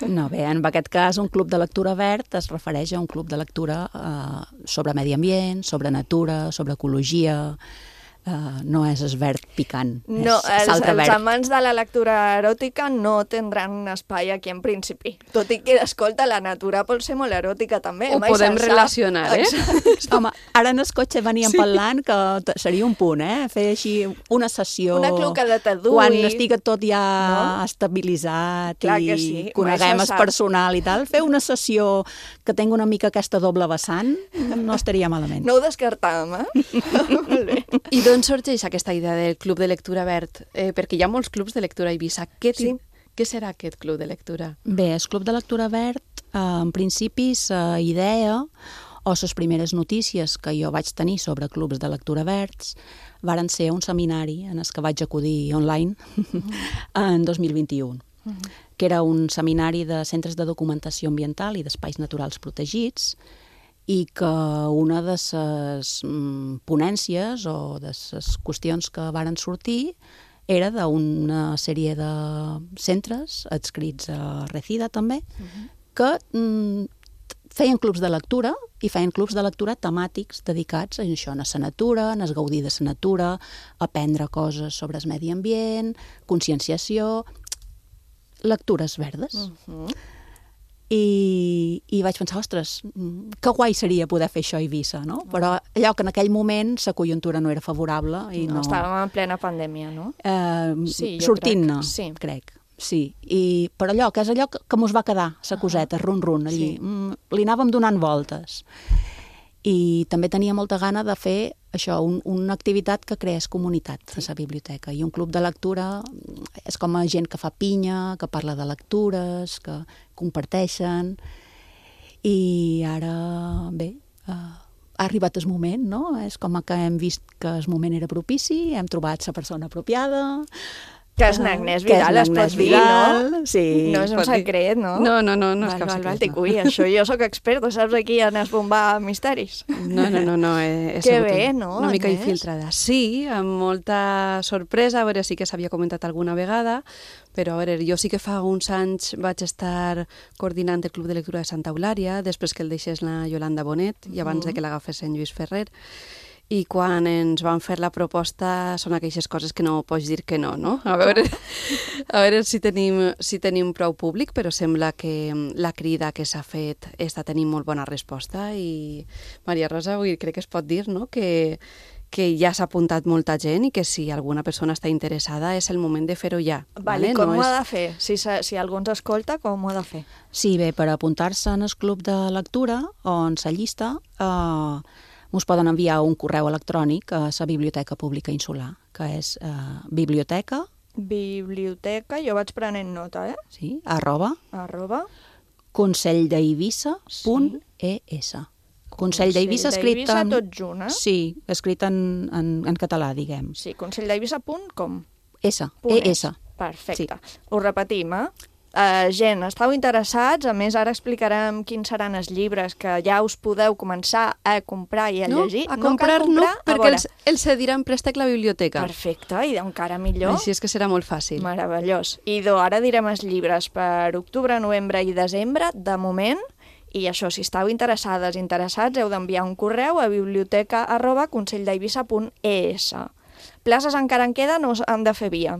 No, bé, en aquest cas un club de lectura verd es refereix a un club de lectura sobre medi ambient, sobre natura, sobre ecologia. No és verd picant, no, és saltre verd. Els amants de la lectura eròtica no tindran un espai aquí en principi. Tot i que, escolta, la natura pot ser molt eròtica també. Ho podem relacionar, Home, ara en el cotxe veníem parlant que seria un punt, fer així una sessió... Una cluca de tadui. Quan estigui tot ja estabilitzat i coneguem el personal i tal, fer una sessió que tingui una mica aquesta doble vessant no estaria malament. No ho descartàvem, Molt bé. I d'on sorgeix aquesta idea del Club de Lectura Verd? Perquè hi ha molts clubs de lectura a Eivissa. Què serà aquest club de lectura? Bé, el Club de Lectura Verd, en principi, la idea o les primeres notícies que jo vaig tenir sobre clubs de lectura verds varen ser un seminari en el que vaig acudir online en 2021, que era un seminari de centres de documentació ambiental i d'espais naturals protegits, i que una de les ponències o de les qüestions que varen sortir era d'una sèrie de centres adscrits a Recida també, que feien clubs de lectura i feien clubs de lectura temàtics dedicats a això, a la natura, a gaudir de la natura, aprendre coses sobre el medi ambient, conscienciació, lectures verdes. I vaig pensar, ostres, que guai seria poder fer això a Eivissa, no? Però allò que en aquell moment la conjuntura no era favorable. I no... Estàvem en plena pandèmia, no? Sortint-ne, crec. Sí, però allò, que és allò que mos va quedar, la coseta, run-run, allí. Li anàvem donant voltes. I també tenia molta gana de fer això, una activitat que creés comunitat a la biblioteca. I un club de lectura és com a gent que fa pinya, que parla de lectures, que comparteixen. I ara, bé, ha arribat el moment, no? És com que hem vist que el moment era propici, hem trobat la persona apropiada. Que és n'Agnès Vidal, es pot dir, no? Sí. No és un secret, no? No és cap secret. Ui, això jo sóc experta, saps aquí en esbombar misteris. No, és que bé, no? Una mica infiltrada. Sí, amb molta sorpresa, a veure, sí que s'havia comentat alguna vegada, però a veure, jo sí que fa uns anys vaig estar coordinant el Club de Lectura de Santa Eulària, després que el deixés la Yolanda Bonet i abans de que l'agafés en Lluís Ferrer. I quan ens van fer la proposta són aquelles coses que no pots dir que no, no? A veure si tenim prou públic, però sembla que la crida que s'ha fet està tenint molt bona resposta i, Maria Rosa, crec que es pot dir, no?, que ja s'ha apuntat molta gent i que si alguna persona està interessada és el moment de fer-ho ja. Vale, com ho ha de fer? Si algú ens escolta, com ho ha de fer? Sí, bé, per apuntar-se en el club de lectura o en la llista... us poden enviar un correu electrònic a la Biblioteca Pública Insular, que és biblioteca... Biblioteca, jo vaig prenent nota, Sí, @ conselldeivissa.es. Consell d'Eivissa escrit en... tot junt, Sí, escrit en català, diguem. Sí, conselldeivissa.com. ES. Perfecte. Ho repetim, gent, estàu interessats, a més ara explicarem quins seran els llibres que ja us podeu començar a comprar i a llegir. A comprar no, perquè els cedirà en préstec la biblioteca. Perfecte, i encara millor. Així és que serà molt fàcil. Meravellós. I ara direm els llibres per octubre, novembre i desembre, de moment, i això, si estàu interessades, interessats, heu d'enviar un correu a biblioteca@conselld'Eivissa.es. Places encara en queden o han de fer via?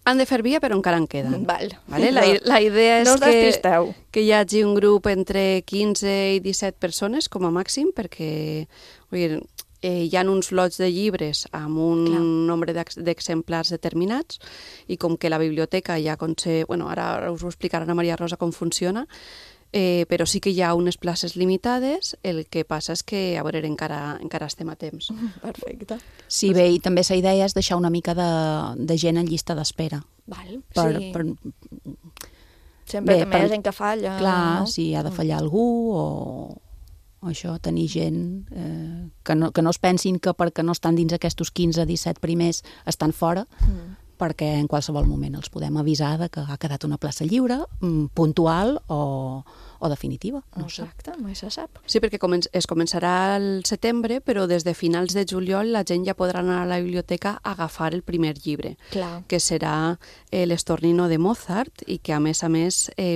Han de fer via, però encara en queden. Vale. La idea és no us despisteu. Que hi hagi un grup entre 15 i 17 persones, com a màxim, perquè hi ha uns lots de llibres amb un nombre d'exemplars determinats, i com que la biblioteca ja ara us ho explicarà la Maria Rosa com funciona, però sí que hi ha unes places limitades, el que passa és que, a veure, encara estem a temps. Perfecte. Sí, bé, i també la idea és deixar una mica de gent en llista d'espera. Val, sí. Sempre també hi ha gent que falla. Clar, si ha de fallar algú o això, tenir gent que no es pensin que perquè no estan dins aquests 15-17 primers estan fora, perquè en qualsevol moment els podem avisar que ha quedat una plaça lliure, puntual o definitiva. Exacte, mai se sap. Sí, perquè es començarà al setembre, però des de finals de juliol la gent ja podrà anar a la biblioteca a agafar el primer llibre, que serà l'Estornino de Mozart, i que a més,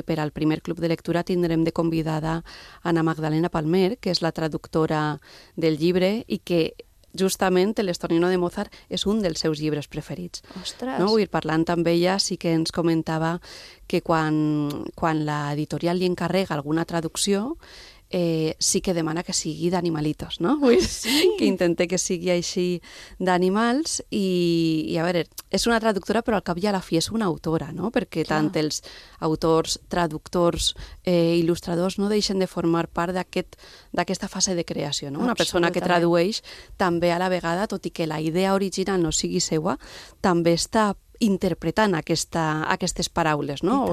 per al primer club de lectura tindrem de convidada Ana Magdalena Palmer, que és la traductora del llibre i que justament l'Estornino de Mozart és un dels seus llibres preferits. Ostres! No? Parlant amb ella sí que ens comentava que quan l'editorial li encarrega alguna traducció sí que demana que sigui d'animalitos, no? Que intente que sigui així d'animals i a veure, és una traductora però al cap i a la fi és una autora, no? Perquè tant els autors, traductors, il·lustradors no deixen de formar part d'aquesta fase de creació, no? Una persona que tradueix també a la vegada, tot i que la idea original no sigui seua, també està interpretant aquestes paraules, no?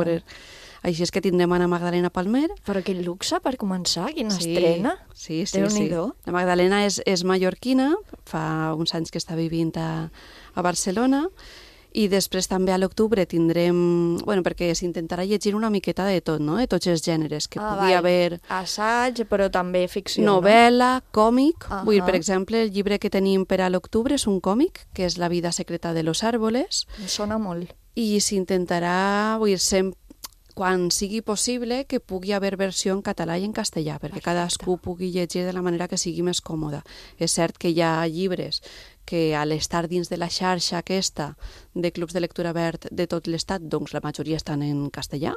Així és que tindrem Ana Magdalena Palmer. Però quin luxe per començar, quina estrena. Sí. La Magdalena és mallorquina, fa uns anys que està vivint a Barcelona, i després també a l'octubre tindrem, perquè s'intentarà llegir una miqueta de tot, no? De tots els gèneres, que pugui haver... Assaig, però també ficció, novel·la, còmic. Per exemple, el llibre que tenim per a l'octubre és un còmic, que és La vida secreta de los árboles. Em sona molt. I s'intentarà, quan sigui possible, que pugui haver versió en català i en castellà, perquè cadascú pugui llegir de la manera que sigui més còmoda. És cert que hi ha llibres que a l'estar dins de la xarxa aquesta de clubs de lectura verd de tot l'estat, doncs la majoria estan en castellà,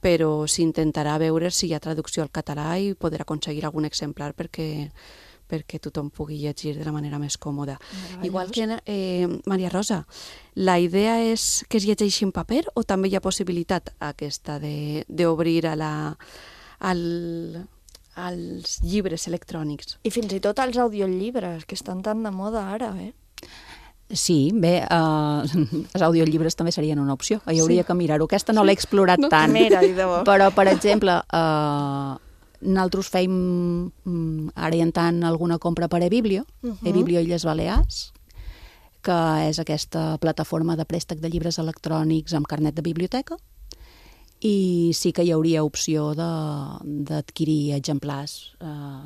però s'intentarà veure si hi ha traducció al català i poder aconseguir algun exemplar perquè tothom pugui llegir de la manera més còmoda. Igual que, Maria Rosa, la idea és que es llegeixi en paper o també hi ha possibilitat aquesta d'obrir als llibres electrònics? I fins i tot als audiollibres, que estan tan de moda ara, Sí, bé, els audiollibres també serien una opció. Hi hauria que mirar-ho. Aquesta no l'he explorat tant. Però, per exemple, nosaltres fèiem ara i en tant alguna compra per eBiblio, eBiblio Illes Balears, que és aquesta plataforma de préstec de llibres electrònics amb carnet de biblioteca, i sí que hi hauria opció d'adquirir exemplars,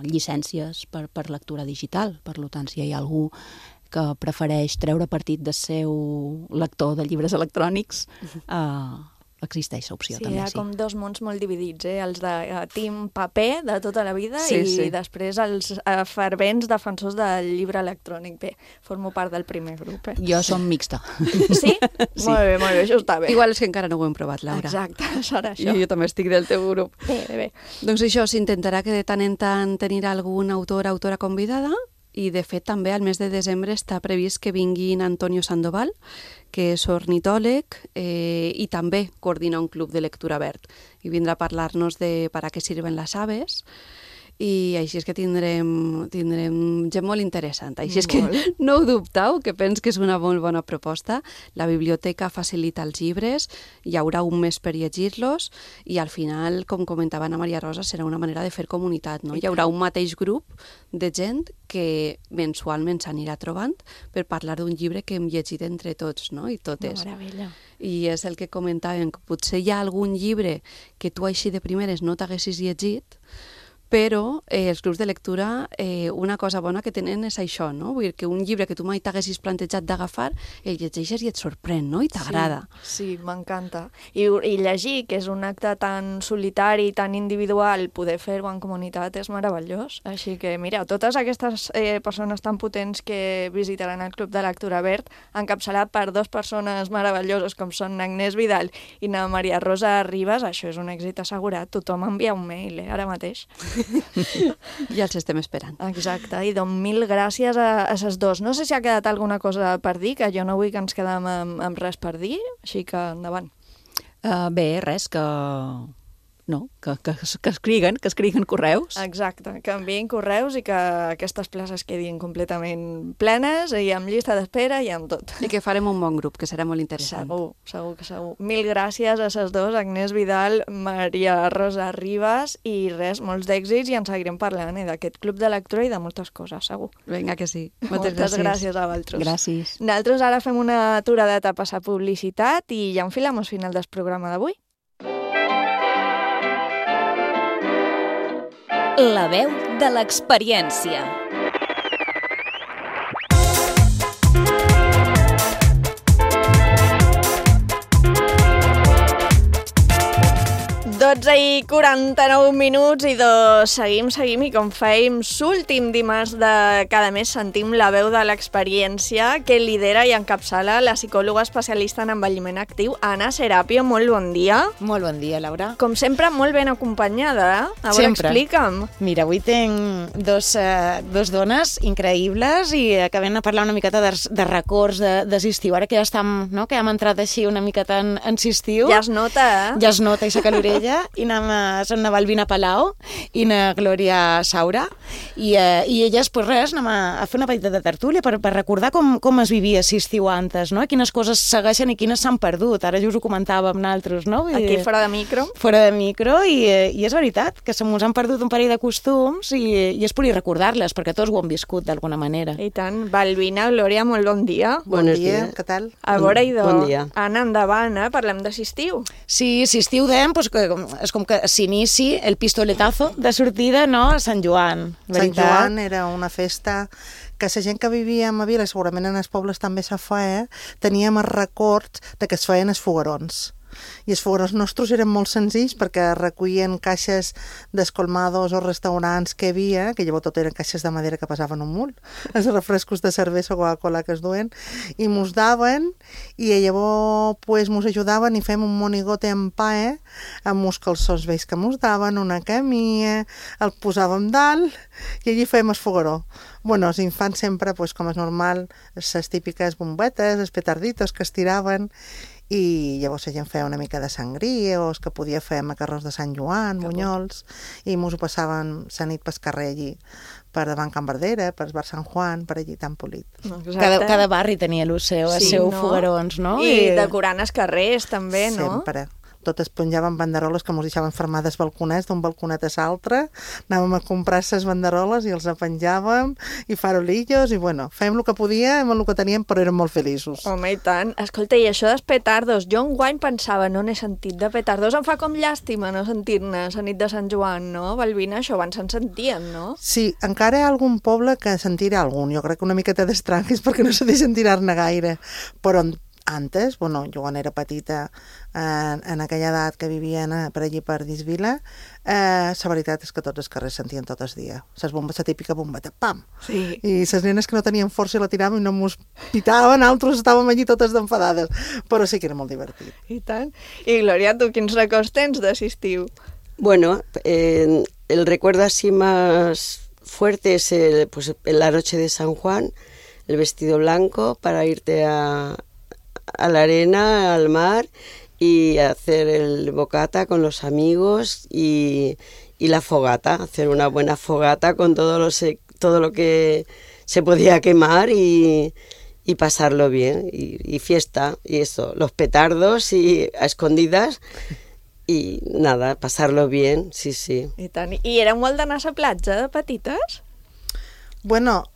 llicències per lectura digital. Per tant, si hi ha algú que prefereix treure partit del seu lector de llibres electrònics, existeix l'opció també, sí. Hi ha com dos mons molt dividits, els de team paper de tota la vida i després els fervents defensors del llibre electrònic. Bé, formo part del primer grup. Jo som mixta. Sí? Molt bé, això està bé. Igual és que encara no ho hem provat, Laura. Exacte, serà això. Jo també estic del teu grup. Bé. Doncs això, s'intentarà que de tant en tant tenir algun autora convidada, i de fet també al mes de desembre està previst que vinguin Antonio Sandoval, que és ornitòleg i també coordina un club de lectura verd, i vindrà a parlar-nos de para qué sirven las aves, i així és que tindrem gent molt interessant. Així és que no ho dubteu, que penso que és una molt bona proposta. La biblioteca facilita els llibres, hi haurà un mes per llegir-los, i al final, com comentava Ana Maria Rosa, serà una manera de fer comunitat, no? Hi haurà un mateix grup de gent que mensualment s'anirà trobant per parlar d'un llibre que hem llegit entre tots, no? I totes. Meravella. i és el que comentàvem, que potser hi ha algun llibre que tu així de primeres no t'haguessis llegit, però els clubs de lectura, una cosa bona que tenen és això, no? Vull dir que un llibre que tu mai t'haguessis plantejat d'agafar, el llegeixes i et sorprèn, no? I t'agrada. Sí, m'encanta. I llegir, que és un acte tan solitari, tan individual, poder fer-ho en comunitat és meravellós. Així que, mira, totes aquestes persones tan potents que visitaran el Club de Lectura Verd, encapçalat per dues persones meravelloses com són Agnès Vidal i na Maria Rosa Ribas, això és un èxit assegurat. Tothom envia un mail, ara mateix. Ja els estem esperant. Exacte, i doncs mil gràcies a ses dos. No sé si ha quedat alguna cosa per dir, que jo no vull que ens quedem amb res per dir, així que endavant. Bé, res, que escriguen correus. Exacte, que envien correus i que aquestes places quedin completament plenes i amb llista d'espera i amb tot. I que farem un bon grup, que serà molt interessant. Segur. Mil gràcies a ses dos, Agnès Vidal, Maria Rosa Ribas, i res, molts d'èxits, i en seguirem parlant d'aquest club de lectura i de moltes coses, segur. Vinga, que sí. Moltes gràcies a vosaltres. Gràcies. Nosaltres ara fem una aturadeta a passar publicitat i ja enfilamos final del programa d'avui. La veu de l'experiència. I 49 minuts i seguim i com fèiem l'últim dimarts de cada mes sentim la veu de l'experiència que lidera i encapçala la psicòloga especialista en envelliment actiu, Anna Serapio. Molt bon dia. Molt bon dia, Laura. Com sempre, molt ben acompanyada. A veure, explica'm. Mira, avui tinc dos dones increïbles i acabem de parlar una miqueta de records d'estiu. Ara que ja estem, no? Que hem entrat així una miqueta en estiu. Ja es nota, Ja es nota, i saca l'orella. I són na Balbina Palau i na Glòria Saura i elles, pues res, anem a fer una petita de tertúlia per recordar com es vivia l'estiu antes, no? Quines coses segueixen i quines s'han perdut. Ara ja us ho comentàvem nosaltres, no? Aquí fora de micro. Fora de micro, i és veritat que se mos han perdut un parell de costums i és per recordar-les, perquè tots ho hem viscut d'alguna manera. I tant. Balbina, Glòria, molt bon dia. Bon dia, què tal? A veure, idò. Bon dia. Anna, endavant, parlem de l'estiu. Sí, l'estiu dèiem, pues, és com que s'inici el pistoletazo de sortida, no?, a Sant Joan. Sant Joan era una festa que la gent que vivíem a Vila, segurament en els pobles també se feia, teníem els records de que es feien els foguerons. I els foguerons nostres eren molt senzills perquè recollien caixes d'escolmados o restaurants que hi havia, que llavors tot eren caixes de madera que passaven un munt, els refrescos de cervesa o Coca-Cola que es duen, i mos daven, i llavors pues, mos ajudaven i fèiem un monigote en pa, amb uns calçons vells que mos daven, una camilla, el posàvem dalt, i allí fèiem el fogueró. Bueno, els infants sempre, pues, com és normal, les típiques bombetes, els petarditos que es tiraven, i llavors la gent feia una mica de sangria o els que podia fer macarrons de Sant Joan, bunyols, i mos ho passaven la nit pel carrer allí, per davant Can Verdera, per Bar Sant Juan, per allí tan polit. Cada barri tenia el seu foguerons, no? I decorant els carrers també, no? Sempre. Totes penjaven banderoles que mos deixaven fermades balconets, d'un balconet a l'altre, anàvem a comprar les banderoles i els penjàvem, i farolillos, i bueno, fèiem el que podíem, el que teníem, però érem molt feliços. Home, i tant. Escolta, i això dels petardos, jo enguany pensava, no n'he sentit de petardos, em fa com llàstima no sentir-ne la nit de Sant Joan, no? Balbina, això abans se'n sentien, no? Sí, encara hi ha algun poble que se'n tira algun, jo crec que una miqueta d'estranguis perquè no se deixen tirar-ne gaire, però antes, bueno, jo quan era petita, en aquella edat que vivien per allí per Disvila, la veritat és que tots els carrers sentien tot el dia. La típica bombeta, pam! Sí. I les nenes que no tenien força i la tiraven i no mos pitaven, altres estàvem allí totes d'enfadades. Però sí que era molt divertit. I tant. I Glòria, tu quins records tens de l'estiu? Bueno, el recuerdo así más fuerte es la noche de San Juan, el vestido blanco para irte a la arena, al mar, y hacer el bocata con los amigos y la fogata, hacer una buena fogata con todo lo que se podía quemar y pasarlo bien, y fiesta, y eso, los petardos y a escondidas, i nada, pasar-lo bien, sí, sí. I tant. I era molt d'anar a la platja de petites? Bueno,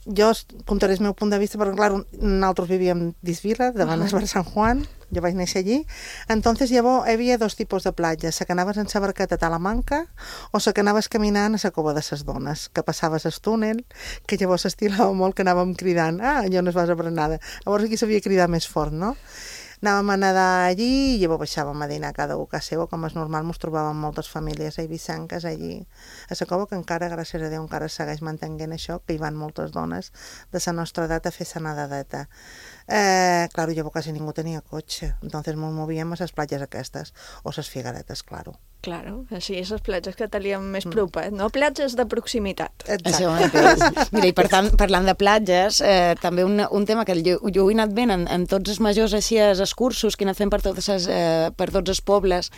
jo contaré el meu punt de vista, perquè clar, nosaltres vivíem d'Isvila, davant del Bar Sant Juan, jo vaig néixer allí. Entonces llavors hi havia dos tipus de platges, la que anaves en la barqueta a Talamanca o la que anaves caminant a la cova de les dones, que passaves el túnel, que llavors s'estilava molt que anàvem cridant, allò no es vas a berenada. Llavors aquí s'havia cridat més fort, no? Anàvem a nedar allí i llavors baixàvem a dinar cada un a casa seva, com és normal, ens trobàvem moltes famílies eivissanques allí a la cova, que encara, gràcies a Déu, encara segueix mantenint això, que hi van moltes dones de la nostra edat a fer la nedadeta. Claro, llavors quasi ningú tenia cotxe, entonces ens movíem a les platges aquestes, o les Figueretes, claro. Claro, així, les platges que teníem més propet, no? Platges de proximitat. Exacte. Mira, i per tant, parlant de platges, també un tema que jo he anat veient en tots els majors així, els cursos que he anat fent per tots els pobles,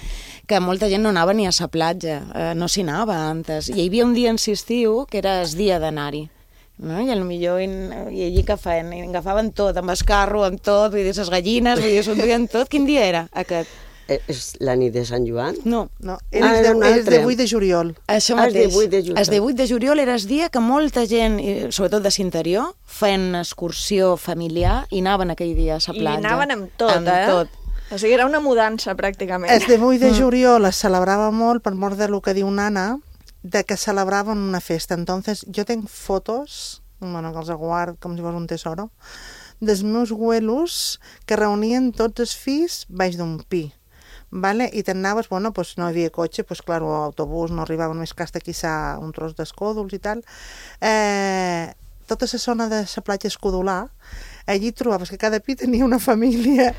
que molta gent no anava ni a la platja, no s'hi anava antes. I hi havia un dia en estiu que era el dia d'anar-hi. No? I potser i allí que feien? I agafaven tot, amb el carro, amb tot, vull dir, les gallines, vull dir, s'enduen tot. Quin dia era aquest? És la nit de Sant Joan? No. Era el de 8 de juliol. Això mateix. El de 8 de juliol era el dia que molta gent, sobretot de l'interior, feien excursió familiar i anaven aquell dia a la platja. I anaven amb tot, tot. O sigui, era una mudança, pràcticament. El de 8 de juliol es celebrava molt, per mort del que diu Nana, de que celebraven una festa. Entonces, jo tenc fotos, bueno, que els guard com si fos un tesoro, dels meus abuelos que reunien tots els fills baix d'un pi. Vale? I t'anaves, bueno, pues no hi havia cotxe, pues claro, autobús no arribaven més que hasta quizá un tros d'escòdols i tal. Tota la zona de la platja Escodolar, allí trobaves que cada pi tenia una família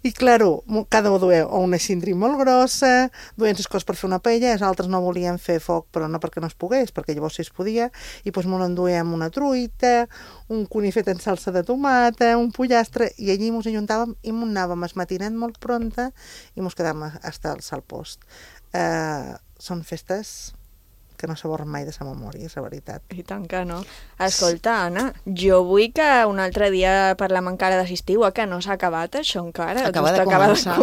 i, claro, cada un duia o una cindri molt grossa, duien les coses per fer una paella, els altres no volien fer foc, però no perquè no es pogués, perquè llavors sí es podia, i doncs molt enduíem una truita, un conill fet en salsa de tomata, un pollastre, i allí ens ajuntàvem i anàvem al matinet molt pronta i ens quedàvem hasta el salpost. Són festes que no s'aborren mai de sa memòria, és la veritat. I tant que no. Escolta, Anna, jo vull que un altre dia parlem encara d'assistiu, que no s'ha acabat això encara. Acaba de començar.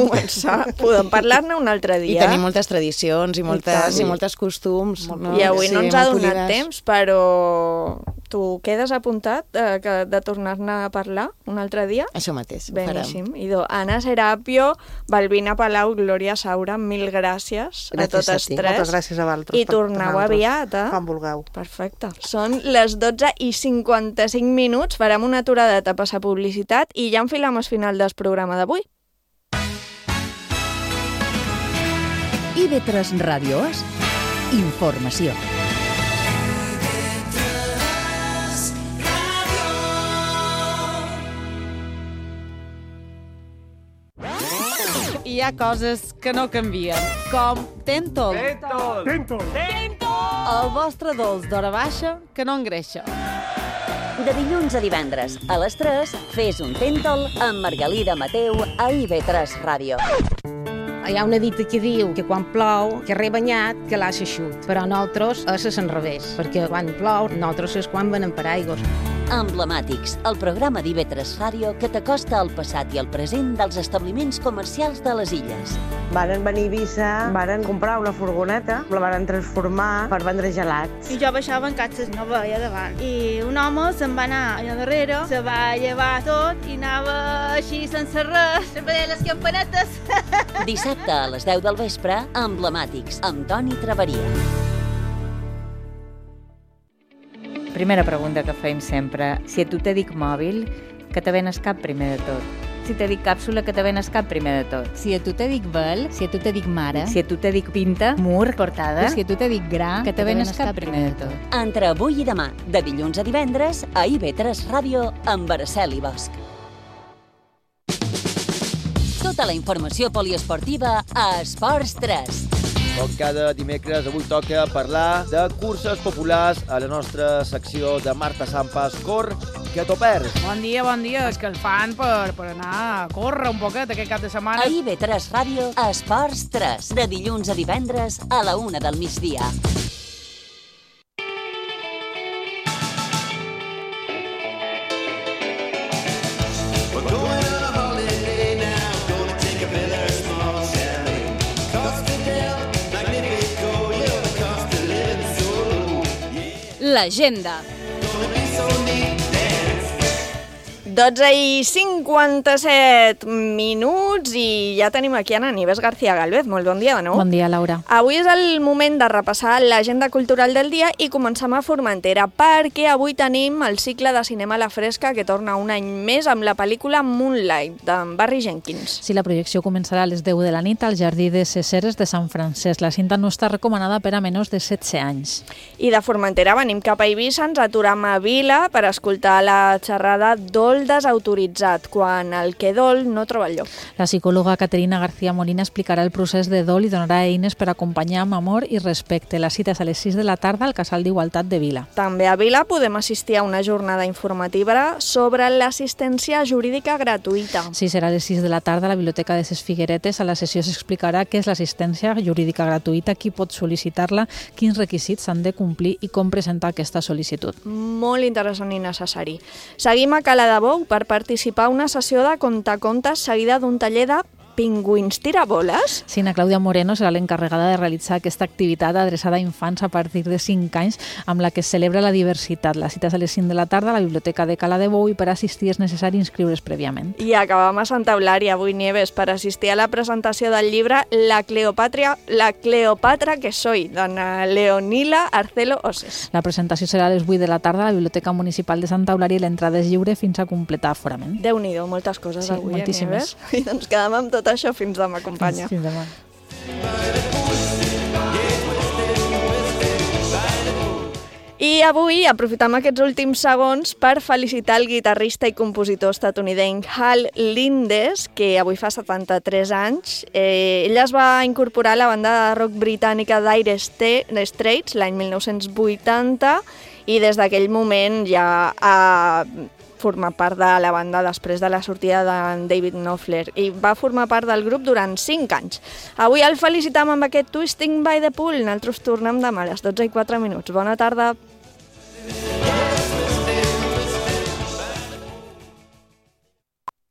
Podem parlar-ne un altre dia. I tenim moltes tradicions i moltes costums. I avui no ens ha donat temps, però tu quedes apuntat de tornar-ne a parlar un altre dia? Això mateix, ho farem. Idò, Anna Serapio, Balbina Palau, Glòria Saura, mil gràcies a totes tres. Moltes gràcies a vosaltres. I torneu aviat, quan vulgueu. Perfecte. Són les 12:55, farem una aturadeta per la publicitat i ja enfilem el final del programa d'avui. IB3 Ràdio És informació. Hi ha coses que no canvien, com Tentol. El vostre dolç d'hora baixa que no engreixa. De dilluns a divendres, a les 3, fes un Tentol amb Margalida Mateu a IB3 Ràdio. Hi ha una dita que diu que quan plou, que rebanyat, que l'ha xaixut. Però nosaltres és al revés, perquè quan plou, nosaltres és quan venem paraigües. Emblemàtics, el programa d'IB3 Ràdio que t'acosta al passat i al present dels establiments comercials de les illes. Varen venir a Eivissa, varen comprar una furgoneta, la varen transformar per vendre gelats. I jo baixava en catxes, no veia davant. I un home se'n va anar allà darrere, se va llevar tot i anava així sense res, sempre deia les campanetes. Dissabte a les 10 del vespre, Emblemàtics, amb Toni Traveria. Primera pregunta que fem sempre. Si a tu te dic mòbil, que te ven el cap primer de tot. Si te dic càpsula, que te ven el cap primer de tot. Si a tu te dic vel, si a tu te dic mare, si a tu te dic pinta, mur, portada, si a tu te dic gra, que te ven el cap primer de tot. Entre avui i demà, de dilluns a divendres, a IB3 Ràdio, amb Araceli Bosch. Tota la informació poliesportiva a Esports 3. Com cada dimecres, avui toca parlar de curses populars a la nostra secció de Marta Sampas Cor, que t'ho perds. Bon dia, escalfant per anar a córrer un poquet aquest cap de setmana. A IB3 Ràdio, Esports 3, de dilluns a divendres a la 1 del migdia. L'agenda. 12:57 minuts i ja tenim aquí Ana Nieves García Galvez. Molt bon dia de nou. Bon dia, Laura. Avui és el moment de repassar l'agenda cultural del dia i comencem a Formentera, perquè avui tenim el cicle de cinema a la fresca que torna un any més amb la pel·lícula Moonlight, d'en Barry Jenkins. Sí, la projecció començarà a les 10 de la nit al Jardí de Ceseres de Sant Francesc. La cinta no està recomanada per a menors de 16 anys. I de Formentera venim cap a Eivissa, ens aturam a Vila per escoltar la xerrada Dol desautoritzat, quan el que dol no troba el lloc. La psicòloga Caterina García Molina explicarà el procés de dol i donarà eines per acompanyar amb amor i respecte. La cita és a les 6 de la tarda al Casal d'Igualtat de Vila. També a Vila podem assistir a una jornada informativa sobre l'assistència jurídica gratuïta. Sí, serà a les 6 de la tarda a la Biblioteca de Ses Figueretes. A la sessió s'explicarà què és l'assistència jurídica gratuïta, qui pot sol·licitar-la, quins requisits s'han de complir i com presentar aquesta sol·licitud. Molt interessant i necessari. Seguim a Cala de Bou per participar a una sessió de contacontes seguida d'un taller de pingüins tiraboles. Sí, na Clàudia Moreno serà l'encarregada de realitzar aquesta activitat adreçada a infants a partir de 5 anys amb la que es celebra la diversitat. La cita és a les 5 de la tarda a la Biblioteca de Cala de Bou i per assistir és necessari inscriure's prèviament. I acabam a Santa Eulària avui, Nieves, per assistir a la presentació del llibre La Cleopatra que soy, d'Anna Leonila Arcelo Oses. La presentació serà a les 8 de la tarda a la Biblioteca Municipal de Santa Eulària i l'entrada és lliure fins a completar aforament. Déu-n'hi-do, moltes coses sí, avui, moltíssimes. Nieves. I doncs quedem amb tot això fins demà, companya. Fins demà. I avui aprofitem aquests últims segons per felicitar el guitarrista i compositor estatunidenc Hal Lindes, que avui fa 73 anys. Ell es va incorporar a la banda de rock britànica Dire Straits l'any 1980 i des d'aquell moment ja ha formar part de la banda després de la sortida de David Knopfler i va formar part del grup durant 5 anys. Avui el felicitam amb aquest Twisting by the Pool. Nosaltres tornem demà a les 12:04. Bona tarda.